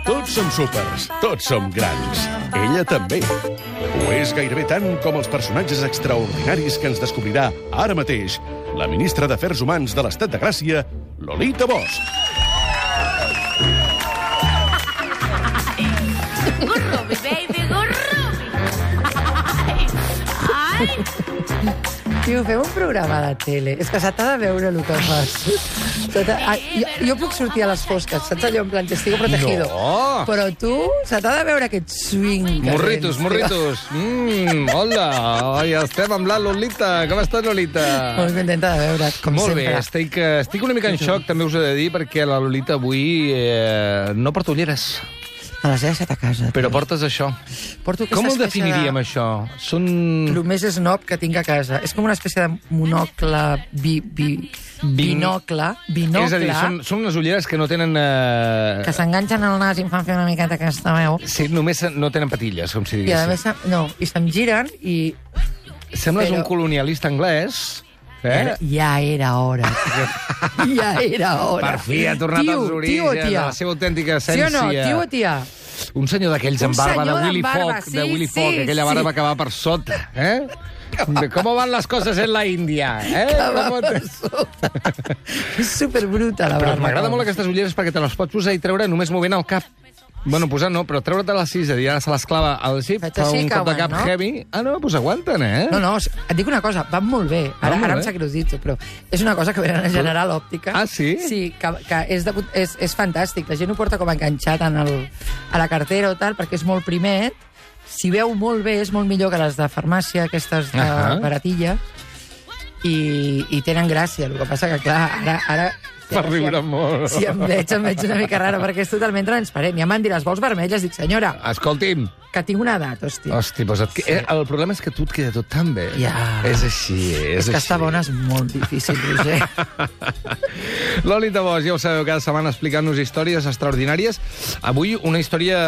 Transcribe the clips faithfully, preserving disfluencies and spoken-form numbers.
Tots som súpers, tots som grans. Ella també. Ho és gairebé tant com els personatges extraordinaris que ens descobrirà ara mateix la ministra d'Afers Humans de l'Estat de Gràcia, Lolita Bosch. Gurrubi, baby, gurrubi. Ai! Tio, fem un programa de tele. És que se t'ha de veure el que fas. Ah, jo, jo puc sortir a les fosques, saps allò en plan testigo protegido? No. Però tu, se t'ha de veure aquest swing. Morritos, morritos. Mmm, hola. Ai, estem amb la Lolita. Com estàs, Lolita? Molt contenta de veure't, com Molt sempre. bé, estic, estic una mica en xoc, també us he de dir, perquè la Lolita avui eh, no porta ulleres. Me les he deixat a casa. Però portes això. Porto aquesta Com ho espècie definiríem, de... això? Són... El més snob que tinc a casa. És com una espècie de monocle, bi, bi, binocle, binocle... És a dir, són, són unes ulleres que no tenen... Eh... que s'enganxen al nas i em fan fer una miqueta aquesta veu. Sí, només no tenen patilles, com si I a diguéssim. més, no, i se'm giren i... Sembles però- un colonialista anglès. Eh? Ja era hora, tio. Ja era hora. Per fi ha tornat Tio, als tio o orígens, tia? a la seva autèntica Sí essència. o no, tio o tia? Un senyor d'aquells Un amb barba de senyor Willy amb barba, Fogg, sí, de Willy sí, Fogg, aquella barba sí. que va per sota, eh? De ¿Cómo van las cosas en la Índia? Eh? Que va Com per te- sota. És superbruta, la Però barba. m'agrada molt aquestes ulleres perquè te les pots posar i treure només movent el cap. Bueno, posar no, però treure't les sis, és a dir, ara se l'esclava al xip, Faig fa així un que cop de aguant, cap no? heavy. Ah, no, doncs aguanten, eh? No, no, et dic una cosa, van molt bé. Ara, Van molt ara em bé. sap greu dir-ho, però és una cosa que venen a General Òptica. Ah, sí? Sí, que, que és, de, és, és fantàstic. La gent ho porta com enganxat en el, a la cartera o tal, perquè és molt primet. Si veu molt bé, és molt millor que les de farmàcia, aquestes de Ahà. baratilla. I, I tenen gràcia. El que passa que, clar, ara... ara Per riure molt. Si em veig, em veig una mica rara, perquè és totalment transparent. Ja m'han dit, les vols vermelles? Dic, senyora, Escolti'm, que tinc una edat, hòstia. hosti, doncs et... eh, el problema és que tu et queda tot tan bé. Ja. És així, és, És que així. estar bona és molt difícil, Roger. Lolita Bosch, ja ho sabeu, cada setmana explicant-nos històries extraordinàries. Avui una història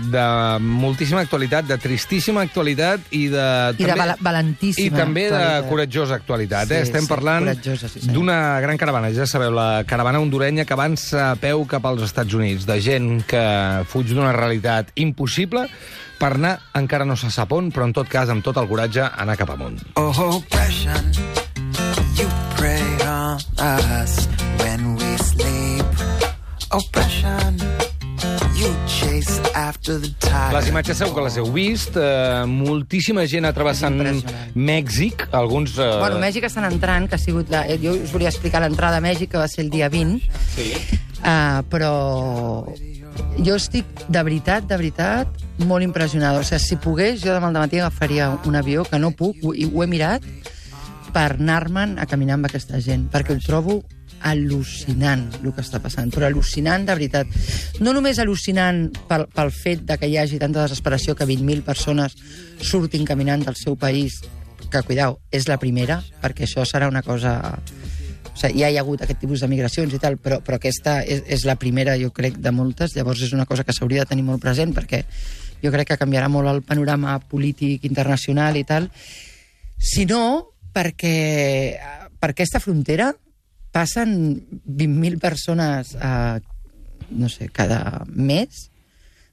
de moltíssima actualitat, de tristíssima actualitat i de... I de val valentíssima I també de actualitat. coratjosa actualitat. Sí, eh? Estem sí, parlant coratjosa, sí, senyor. d'una gran caravana, ja sabeu, la caravana hondurenya que avança a peu cap als Estats Units, de gent que fuig d'una realitat impossible per anar, encara no se sap on, però en tot cas, amb tot el coratge, anar cap amunt. Oh, oppression, you prey on us when we sleep. Oppression, you chase after the tide. Les imatges segur que les heu vist. Eh, moltíssima gent travessant Impressionant. Mèxic. Alguns... Eh... Bueno, Mèxic estan entrant, que ha sigut... La... Jo us volia explicar l'entrada a Mèxic, que va ser el dia vint. Sí. Uh, però jo estic, de veritat, de veritat, molt impressionada. O sigui, si pogués, jo demà al matí agafaria un avió, que no puc, ho, i ho he mirat, per anar-me'n a caminar amb aquesta gent, perquè ho trobo al·lucinant, el que està passant, però al·lucinant de veritat. No només al·lucinant pel, pel fet de que hi hagi tanta desesperació que vint mil persones surtin caminant del seu país, que, cuidao, és la primera, perquè això serà una cosa... O sigui, ja hi ha hagut aquest tipus de migracions i tal, però, però aquesta és, és la primera, jo crec, de moltes. Llavors és una cosa que s'hauria de tenir molt present, perquè jo crec que canviarà molt el panorama polític internacional i tal. Si no, perquè per aquesta frontera passen vint mil persones, eh, no sé, cada mes,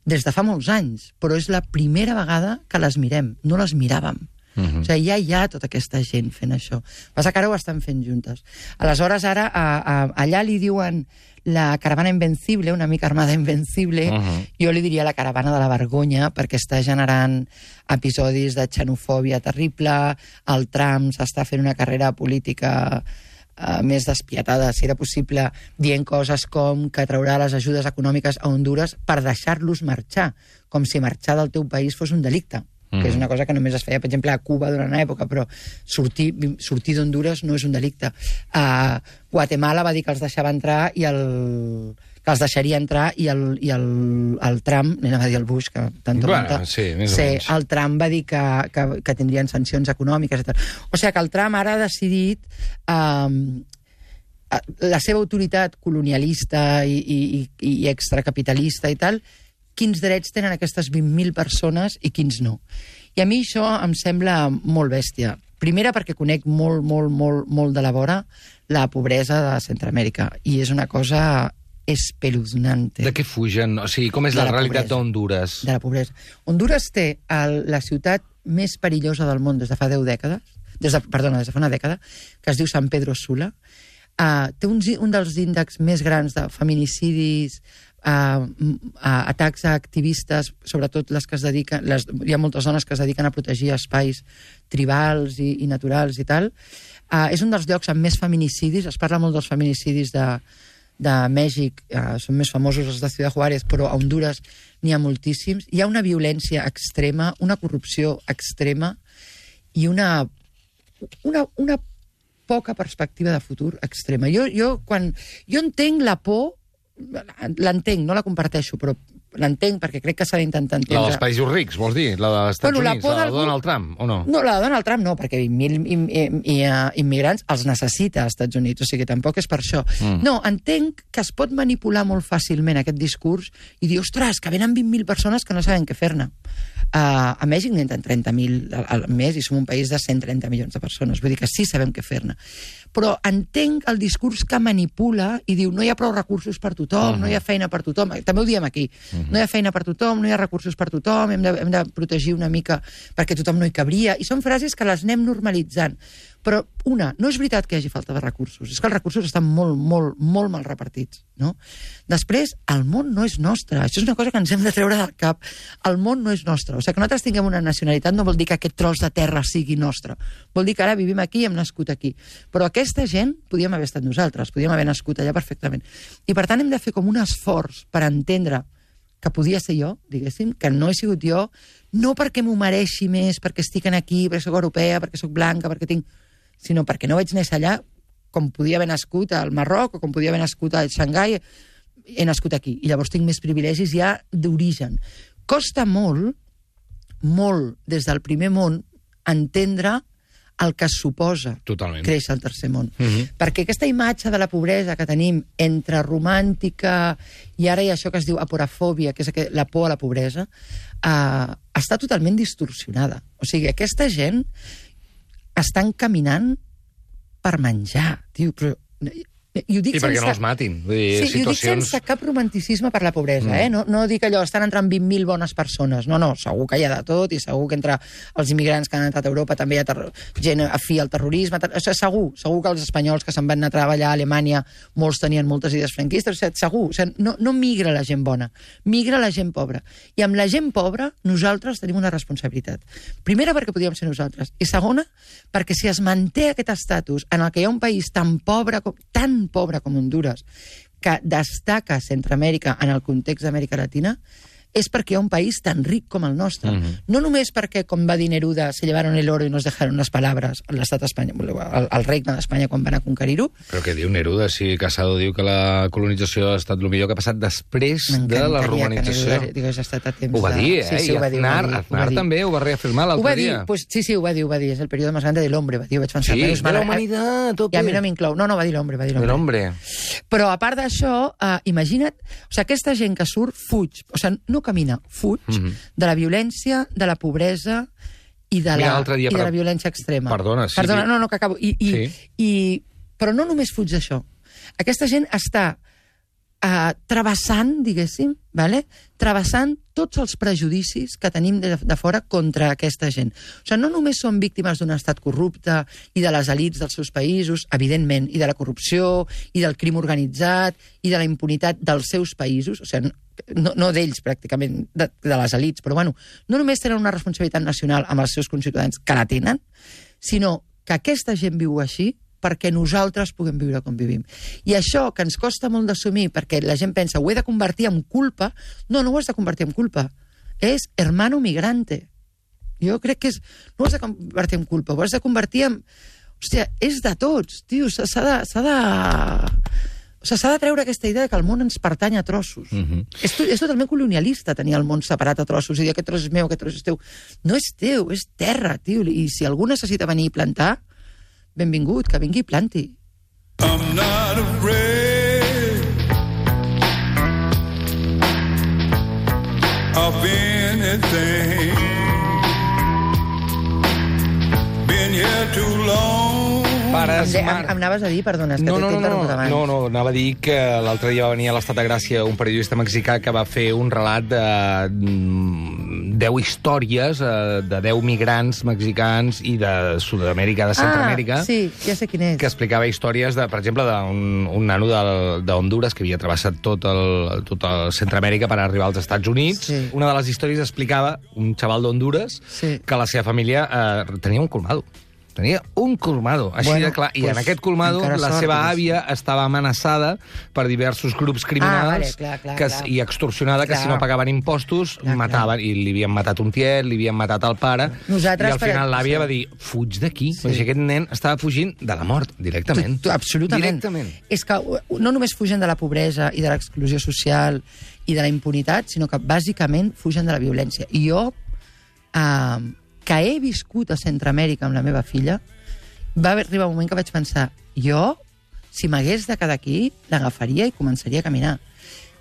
des de fa molts anys, però és la primera vegada que les mirem. No les miràvem. Uh-huh. O sigui, ja hi ha tota aquesta gent fent això. Passa que ara ho estan fent juntes. Aleshores, ara, a, a, allà li diuen la caravana invencible, una mica armada invencible, uh-huh. Jo li diria la caravana de la vergonya, perquè està generant episodis de xenofòbia terrible, el Trump s'està fent una carrera política uh, més despietada, si era possible, dient coses com que traurà les ajudes econòmiques a Honduras per deixar-los marxar, com si marxar del teu país fos un delicte. Que és una cosa que només es feia, per exemple, a Cuba durant una època, però sortir, sortir d'Honduras no és un delicte. Uh, Guatemala va dir que els deixava entrar i el... que els deixaria entrar i el, i el, el Trump, anava a dir el Bush, que tant Bueno, sí, més o sí, menys. el Trump va dir que, que, que tindrien sancions econòmiques i tal. O sigui que el Trump ara ha decidit um, la seva autoritat colonialista i, i, i extracapitalista i tal, quins drets tenen aquestes vint mil persones i quins no. I a mi això em sembla molt bèstia. Primera, perquè conec molt, molt, molt, molt de la vora la pobresa de Centroamèrica. I és una cosa espeluznante. De què fugen? O sigui, com és De la, la realitat pobresa. d'Honduras? De la pobresa. Honduras té el, la ciutat més perillosa del món des de fa deu dècades, des de, perdona, des de fa una dècada, que es diu San Pedro Sula. Uh, té un, un dels índexs més grans de feminicidis, uh, uh, atacs a activistes, sobretot les que es dediquen, les, hi ha moltes dones que es dediquen a protegir espais tribals i, i naturals i tal. Uh, és un dels llocs amb més feminicidis, es parla molt dels feminicidis de, de Mèxic, uh, són més famosos els de Ciudad Juárez, però a Honduras n'hi ha moltíssims. Hi ha una violència extrema, una corrupció extrema i una, una, una poca perspectiva de futur extrema. Jo, jo, quan, jo entenc la por, l'entenc, no la comparteixo, però l'entenc perquè crec que s'ha d'intentar entendre. La dels països rics, vols dir? La dels Estats Bueno, la Units, por la de d'algú- Donald Trump, o no? No, la de Donald Trump no, perquè vint mil im, im, i, uh, immigrants els necessita als Estats Units, o sigui, tampoc és per això. Mm. No, entenc que es pot manipular molt fàcilment aquest discurs i dir, ostres, que venen vint mil persones que no saben què fer-ne. Uh, a Mèxic n'entren trenta mil al, al mes i som un país de cent trenta milions de persones, vull dir que sí sabem què fer-ne. Però entenc el discurs que manipula i diu, no hi ha prou recursos per tothom, uh-huh. no hi ha feina per tothom, també ho diem aquí, uh-huh. no hi ha feina per tothom, no hi ha recursos per tothom, hem de, hem de protegir una mica perquè tothom no hi cabria, i són frases que les anem normalitzant. Però, una, no és veritat que hi hagi falta de recursos, és que els recursos estan molt, molt, molt mal repartits, no? Després, el món no és nostre, això és una cosa que ens hem de treure del cap, el món no és nostre, o sigui, que nosaltres tinguem una nacionalitat no vol dir que aquest tros de terra sigui nostre, vol dir que ara vivim aquí i hem nascut aquí, però aquesta gent podíem haver estat nosaltres, podíem haver nascut allà perfectament, i per tant hem de fer com un esforç per entendre que podia ser jo, diguéssim, que no he sigut jo, no perquè m'ho mereixi més, perquè estic aquí, perquè sóc europea, perquè sóc blanca, perquè tinc... sinó perquè no vaig néixer allà com podia haver nascut al Marroc o com podia haver nascut a Xangai, he nascut aquí, i llavors tinc més privilegis ja d'origen. Costa molt, molt, des del primer món, entendre el que suposa Totalment. créixer al tercer món. Mhm. Perquè aquesta imatge de la pobresa que tenim entre romàntica i ara hi ha això que es diu aporafòbia, que és la por a la pobresa, eh, està totalment distorsionada. O sigui, aquesta gent estan caminant per menjar, tio, però... I, ho dic I perquè sense... no els matin. Vull dir, Sí, situacions... ho dic sense cap romanticisme per la pobresa, mm. eh? No, no dic allò, estan entrant vint mil bones persones. No, no, segur que hi ha de tot, i segur que entre els immigrants que han entrat a Europa també hi ha ter... gent afí al terrorisme. Ter... O sigui, segur, segur que els espanyols que se'n van anar a treballar a Alemanya molts tenien moltes idees franquistes. O sigui, segur, o sigui, no, no migra la gent bona, migra la gent pobra. I amb la gent pobra nosaltres tenim una responsabilitat. Primera, perquè podíem ser nosaltres. I segona, perquè si es manté aquest estatus en el que hi ha un país tan pobre, com, tan pobre com Honduras, que destaca a Centroamèrica en el context d'Amèrica Latina, és perquè hi ha un país tan ric com el nostre. Uh-huh. No només perquè, com va dir Neruda, se llevaron el oro i nos dejaron les palabras a l'estat espanyol, al, al regne d'Espanya quan van a conquerir-ho. Però què diu Neruda? Si Casado diu que la colonització ha estat el millor que ha passat després de la romanització. Que Neruda ha estat a temps ho va dir, eh? De... Sí, sí, I ho va dir, Aznar, ho va dir, Aznar també ho va reafirmar l'altre dia. Pues, sí, sí, ho va dir, ho va dir. És el període més grande de l'hombre, va dir, ho vaig pensar. Sí, Menos de mal, la humanitat, tope. I a mi no m'inclou. No, no, va dir l'hombre, va dir De l'hombre. l'hombre. Però a part d'això, uh, imagina't, o sigui, aquesta gent que surt fuig, o sigui, no camina, fuig Mhm. de la violència, de la pobresa i de, Mira, la, l'altre dia, i de per- la violència extrema. Perdona, sí, Perdona, sí. no, no, que acabo. I, i, Sí. i, però no només fuig d'això. Aquesta gent està uh, travessant, diguéssim, vale? travessant tots els prejudicis que tenim de, de fora contra aquesta gent. O sigui, no només són víctimes d'un estat corrupte i de les elits dels seus països, evidentment, i de la corrupció, i del crim organitzat, i de la impunitat dels seus països, o sigui, no, no d'ells pràcticament, de, de les elits, però bueno, no només tenen una responsabilitat nacional amb els seus conciutadans, que la tenen, sinó que aquesta gent viu així perquè nosaltres puguem viure com vivim. I això, que ens costa molt d'assumir, perquè la gent pensa, ho he de convertir en culpa, no, no ho has de convertir en culpa. És hermano migrante. Jo crec que és... No ho has de convertir en culpa, ho has de convertir en... Hòstia, és de tots, tio, s'ha de... S'ha de... O sigui, s'ha de treure aquesta idea que el món ens pertany a trossos. Mhm. és, to, és totalment colonialista tenir el món separat a trossos i dir aquest tros és meu, aquest tros és teu. No és teu, és terra, tio. I si algú necessita venir i plantar, benvingut, que vingui i planti. I'm not afraid of anything. Been here too long Pares, Em, de, mar- em, em anaves a dir, perdona, és que No, t'he no, t'he no, interromput no, abans. no, no, anava a dir que l'altre dia va venir a l'Estat de Gràcia un periodista mexicà que va fer un relat de mm, deu històries eh, de deu migrants mexicans i de Sud-amèrica, de Centroamèrica, Ah, sí, ja sé quin és. que explicava històries, de, per exemple, d'un un nano del- d'Honduras que havia travessat tot el, tot el Centroamèrica per arribar als Estats Units. Sí. Una de les històries explicava un xaval d'Honduras Sí. que la seva família eh, tenia un colmado. Tenia un colmado, així Bueno, de clar. I pues, en aquest colmado encara la sort, seva diguéssim. àvia estava amenaçada per diversos grups criminals Ah, vale, clar, clar, que, clar. i extorsionada que Clar. si no pagaven impostos Clar, mataven. I li havien matat un tiet, li havien matat el pare. Nosaltres, I al per final exemple, l'àvia sí. va dir, fuig d'aquí. Sí. Sí. Aquest nen estava fugint de la mort, directament. Tu, tu, absolutament. Directament. És que uh, no només fugen de la pobresa i de l'exclusió social i de la impunitat, sinó que bàsicament fugen de la violència. I jo, eh, que he viscut a Centroamèrica amb la meva filla, va arribar un moment que vaig pensar, jo, si m'hagués de quedar aquí, l'agafaria i començaria a caminar.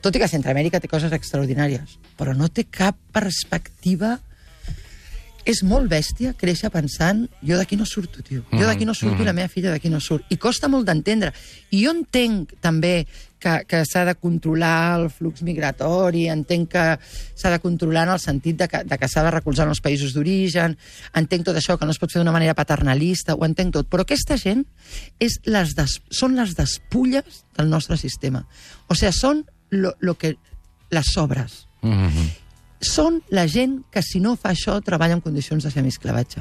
Tot i que Centroamèrica té coses extraordinàries, però no té cap perspectiva. És molt bèstia créixer pensant jo d'aquí no surto, tio. Jo d'aquí no surto i la meva filla d'aquí no surt. I costa molt d'entendre. I jo entenc també que, que s'ha de controlar el flux migratori, entenc que s'ha de controlar en el sentit de que, de que s'ha de recolzar en els països d'origen, entenc tot això, que no es pot fer d'una manera paternalista, ho entenc tot. Però aquesta gent és les des, són les despulles del nostre sistema. O sigui, són lo, lo que, les sobres. Mm-hmm. Són la gent que, si no fa això, treballa en condicions de semiesclavatge.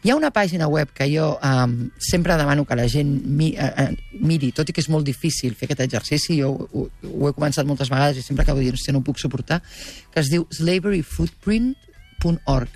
Hi ha una pàgina web que jo um, sempre demano que la gent mi, uh, uh, miri, tot i que és molt difícil fer aquest exercici, jo ho, ho he començat moltes vegades i sempre acabo dient que no ho puc suportar, que es diu slavery footprint punt org.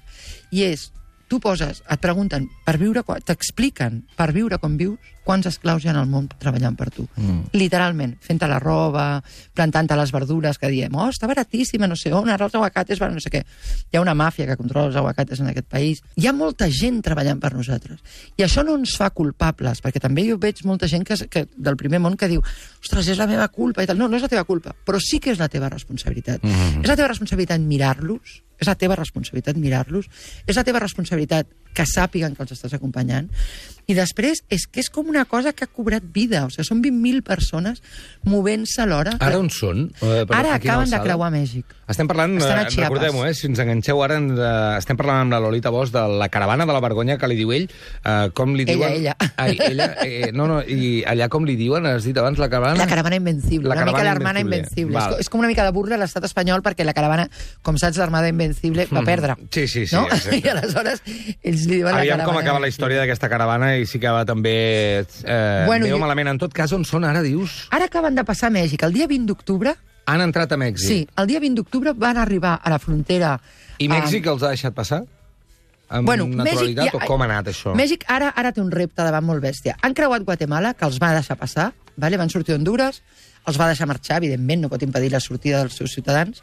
I és, tu poses, et pregunten, per viure, t'expliquen, per viure com vius, quants esclaus hi ha al món treballant per tu. Mm. Literalment, fent-te la roba, plantant-te les verdures, que diem, oh, està baratíssima, no sé on, ara els aguacates van no sé què. Hi ha una màfia que controla els aguacates en aquest país. Hi ha molta gent treballant per nosaltres. I això no ens fa culpables, perquè també jo veig molta gent que, que del primer món que diu, ostres, és la meva culpa i tal. No, no és la teva culpa, però sí que és la teva responsabilitat. Mm-hmm. És la teva responsabilitat mirar-los, és la teva responsabilitat mirar-los, és la teva responsabilitat que sàpiguen que els estàs acompanyant. I després és que és com una cosa que ha cobrat vida. O sigui, són vint mil persones movent-se alhora. Ara on són? Uh, per, Ara a quina acaben de alçada? creuar Mèxic. Estem parlant, Estan a eh, Chiapas. recordem-ho, eh, si ens enganxeu ara, ens, eh, estem parlant amb la Lolita Bosch de la caravana de la vergonya que li diu ell, eh, com li Ella, diuen... ella. Ai, ella eh, no, no, i allà com li diuen, has dit abans, la caravana... La caravana invencible, La una mica caravana l'Armada Invencible. Invencible. Val. És, co- és com una mica de burla a l'estat espanyol perquè la caravana, com saps, l'Armada Invencible va perdre. Sí, sí, sí, No? exacte. I aleshores ells li diuen la Aviam caravana com acaba la història d'aquesta caravana i si acaba també eh, Bueno, bueno, jo- malament. En tot cas, on són ara, dius? Ara acaben de passar a Mèxic. El dia vint d'octubre, Han entrat a Mèxic. sí, el dia vint d'octubre van arribar a la frontera... I Mèxic els ha deixat passar? Amb Bueno, naturalitat? Mèxic, o com ha anat això? Mèxic ara ara té un repte davant molt bèstia. Han creuat Guatemala, que els va deixar passar, vale? Van sortir d'Honduras, els va deixar marxar, evidentment, no pot impedir la sortida dels seus ciutadans,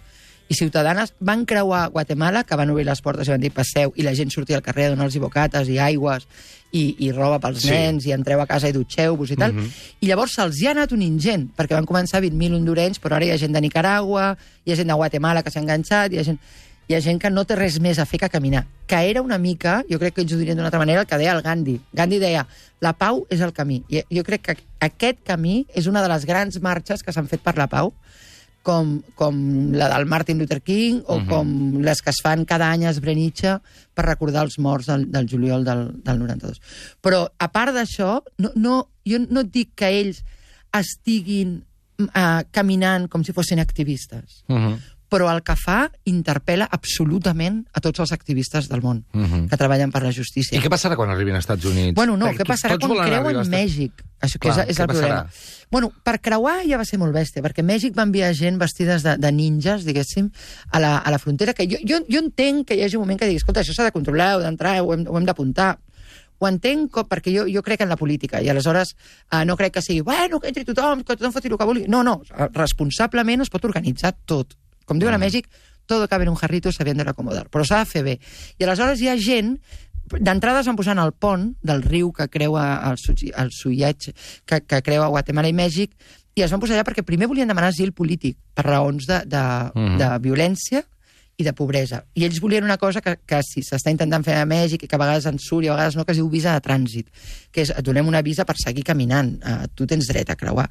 i ciutadanes van creuar Guatemala, que van obrir les portes i van dir passeu, i la gent sortia al carrer a donar-los bocates i aigües i, i roba pels Sí. nens, i entreu a casa i dutxeu-vos i tal. Mhm. I llavors se'ls hi ha anat un ingent, perquè van començar vint mil hondurenys, però ara hi ha gent de Nicaragua, hi ha gent de Guatemala que s'ha enganxat, hi ha gent... Hi ha gent que no té res més a fer que caminar. Que era una mica, jo crec que ells ho dirien d'una altra manera, el que deia el Gandhi. Gandhi deia, la pau és el camí. I jo crec que aquest camí és una de les grans marxes que s'han fet per la pau, com, com la del Martin Luther King o uh-huh. com les que es fan cada any a Srebrenica per recordar els morts del, del juliol del, del noranta-dos. Però, a part d'això, no, no, jo no et dic que ells estiguin uh, caminant com si fossin activistes, Uh -huh. però el que fa interpel·la absolutament a tots els activistes del món Mhm. que treballen per la justícia. I què passarà quan arribin als Estats Units? Bueno, no, Perquè què passarà tots quan volen creuen arribar als Estats- Mèxic? Això que Clar, és, és què el problema. passarà? Bueno, per creuar ja va ser molt bèstia, perquè Mèxic va enviar gent vestides de, de ninjas, diguéssim, a la, a la frontera, que jo, jo, jo entenc que hi hagi un moment que digui, escolta, això s'ha de controlar, heu d'entrar, ho hem, ho hem d'apuntar. Ho entenc com, perquè jo, jo crec en la política i aleshores eh, no crec que sigui bueno, que entri tothom, que tothom foti el que vulgui. No, no, responsablement es pot organitzar tot. Com diuen a Mèxic, todo cabe en un jarrito sabiendo acomodar, però s'ha de fer bé. I aleshores hi ha gent, d'entrada es van posar en el pont del riu que creua el, Su- el Suyach, que, que creua Guatemala i Mèxic, i es van posar allà perquè primer volien demanar asil polític per raons de, de, Mhm. de violència i de pobresa. I ells volien una cosa que, que si s'està intentant fer a Mèxic i que a vegades en surt i a vegades no, que es diu visa de trànsit, que és, et donem una visa per seguir caminant. Uh, tu tens dret a creuar.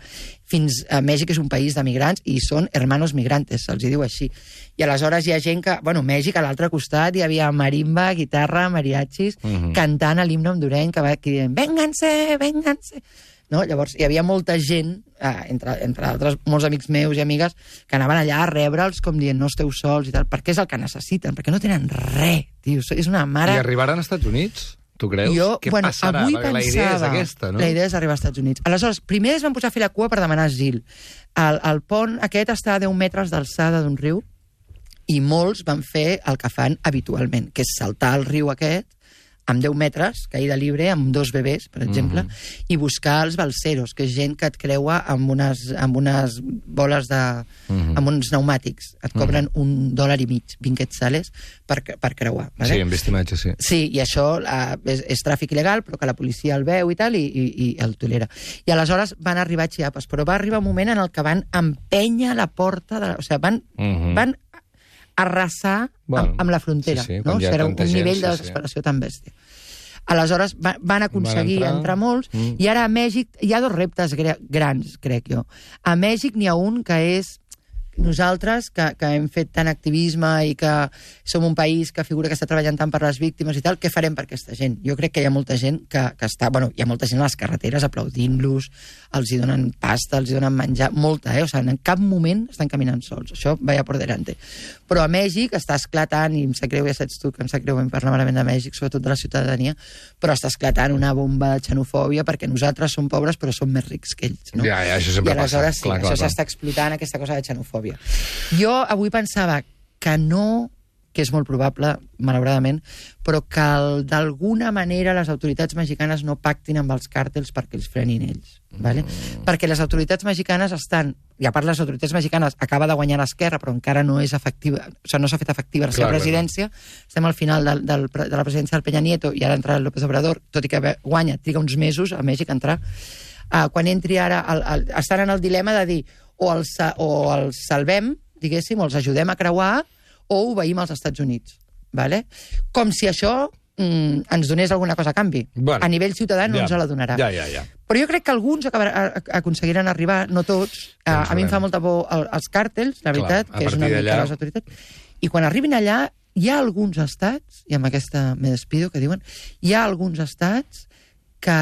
Fins a Mèxic és un país de migrants i són hermanos migrantes, se'ls diu així. I aleshores hi ha gent que... Bueno, Mèxic, a l'altre costat, hi havia marimba, guitarra, mariachis, uh-huh. cantant a l'himne hondurenc, que va aquí dient, vénganse, vénganse. No? Llavors, hi havia molta gent, eh, entre, entre altres, molts amics meus i amigues, que anaven allà a rebre'ls com dient no esteu sols i tal, perquè és el que necessiten, perquè no tenen res, tio. És una mare... I arribaran als Estats Units, tu creus? Jo, Què bueno, passarà? avui Perquè pensava, la idea és aquesta, no? La idea és arribar als Estats Units. Aleshores, primer es van posar a fer la cua per demanar asil. El, el pont aquest està a deu metres d'alçada d'un riu i molts van fer el que fan habitualment, que és saltar el riu aquest amb deu metres, caïda libre, amb dos bebès, per exemple, mm-hmm. i buscar els balseros, que és gent que et creua amb unes, amb unes boles de... Mm-hmm. amb uns pneumàtics. Et cobren mm-hmm. un dòlar i mig, vint quetzales, per, per creuar. Vale? Sí, hem vist imatges, sí. Sí, i això uh, és, és tràfic il·legal, però que la policia el veu i tal, i, i, i el tolera. I aleshores van arribar a Chiapas, però va arribar un moment en el que van empènyer la porta, de, o sigui, van... Mm-hmm. van arrasar bueno, amb, amb la frontera. Sí, sí, no? O sigui, era un gent, nivell de sí, desesperació sí. tan bèstia. Aleshores va, van aconseguir van entrar... entrar molts, mm. i ara a Mèxic hi ha dos reptes grans, crec jo. A Mèxic n'hi ha un que és nosaltres, que, que hem fet tant activisme i que som un país que figura que està treballant tant per les víctimes i tal, què farem per aquesta gent? Jo crec que hi ha molta gent que, que està... Bueno, hi ha molta gent a les carreteres aplaudint-los, els hi donen pasta, els hi donen menjar, molta, eh? O sigui, en cap moment estan caminant sols. Això vaya por delante. Però a Mèxic està esclatant, i em sap greu, ja saps tu que em sap greu parlar malament de Mèxic, sobretot de la ciutadania, però està esclatant una bomba de xenofòbia perquè nosaltres som pobres però som més rics que ells. No? Ja, ja, això sempre I aleshores passa. sí, clar, això s'està explotant, aquesta cosa de xenofòbia. Jo avui pensava que no, que és molt probable, malauradament, però que el, d'alguna manera les autoritats mexicanes no pactin amb els càrtels perquè els frenin ells. Vale? Mm. Perquè les autoritats mexicanes estan... I a part, les autoritats mexicanes acaba de guanyar l'esquerra, però encara no és efectiva, o sigui, no s'ha fet efectiva la seva presidència. Clar. Estem al final del, del, de la presidència del Peña Nieto i ara entra el López Obrador, tot i que guanya, triga uns mesos a Mèxic a entrar. Uh, quan entri ara, el, el, estan en el dilema de dir o els, o els salvem, diguéssim, o els ajudem a creuar, o obeïm als Estats Units. Vale? Com si això mm, ens donés alguna cosa a canvi. Bueno, a nivell ciutadà no ja, ens la donarà. Ja, ja, ja. Però jo crec que alguns acabar, aconseguiran arribar, no tots. A, a mi em fa molta por el, els càrtels, la veritat, clar, que és una mica les autoritats. I quan arribin allà, hi ha alguns estats, i amb aquesta me despido, que diuen, hi ha alguns estats que,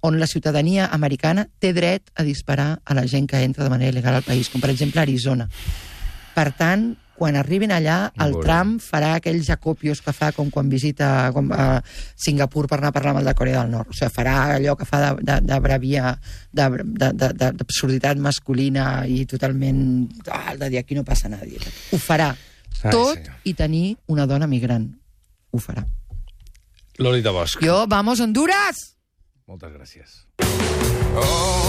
on la ciutadania americana té dret a disparar a la gent que entra de manera il·legal al país, com per exemple Arizona. Per tant, quan arribin allà, el Bona. Trump farà aquells acopios que fa com quan visita com, a Singapur per anar a parlar amb el de Corea del Nord. O sigui, farà allò que fa de, de, de bravia, d'absurditat masculina i totalment... Ah, de dir, aquí no passa nadie. Ho farà. Ai, tot sí. I tenir una dona migrant. Ho farà. Lolita Bosch. Jo, vamos, Honduras! Moltes gràcies. Oh.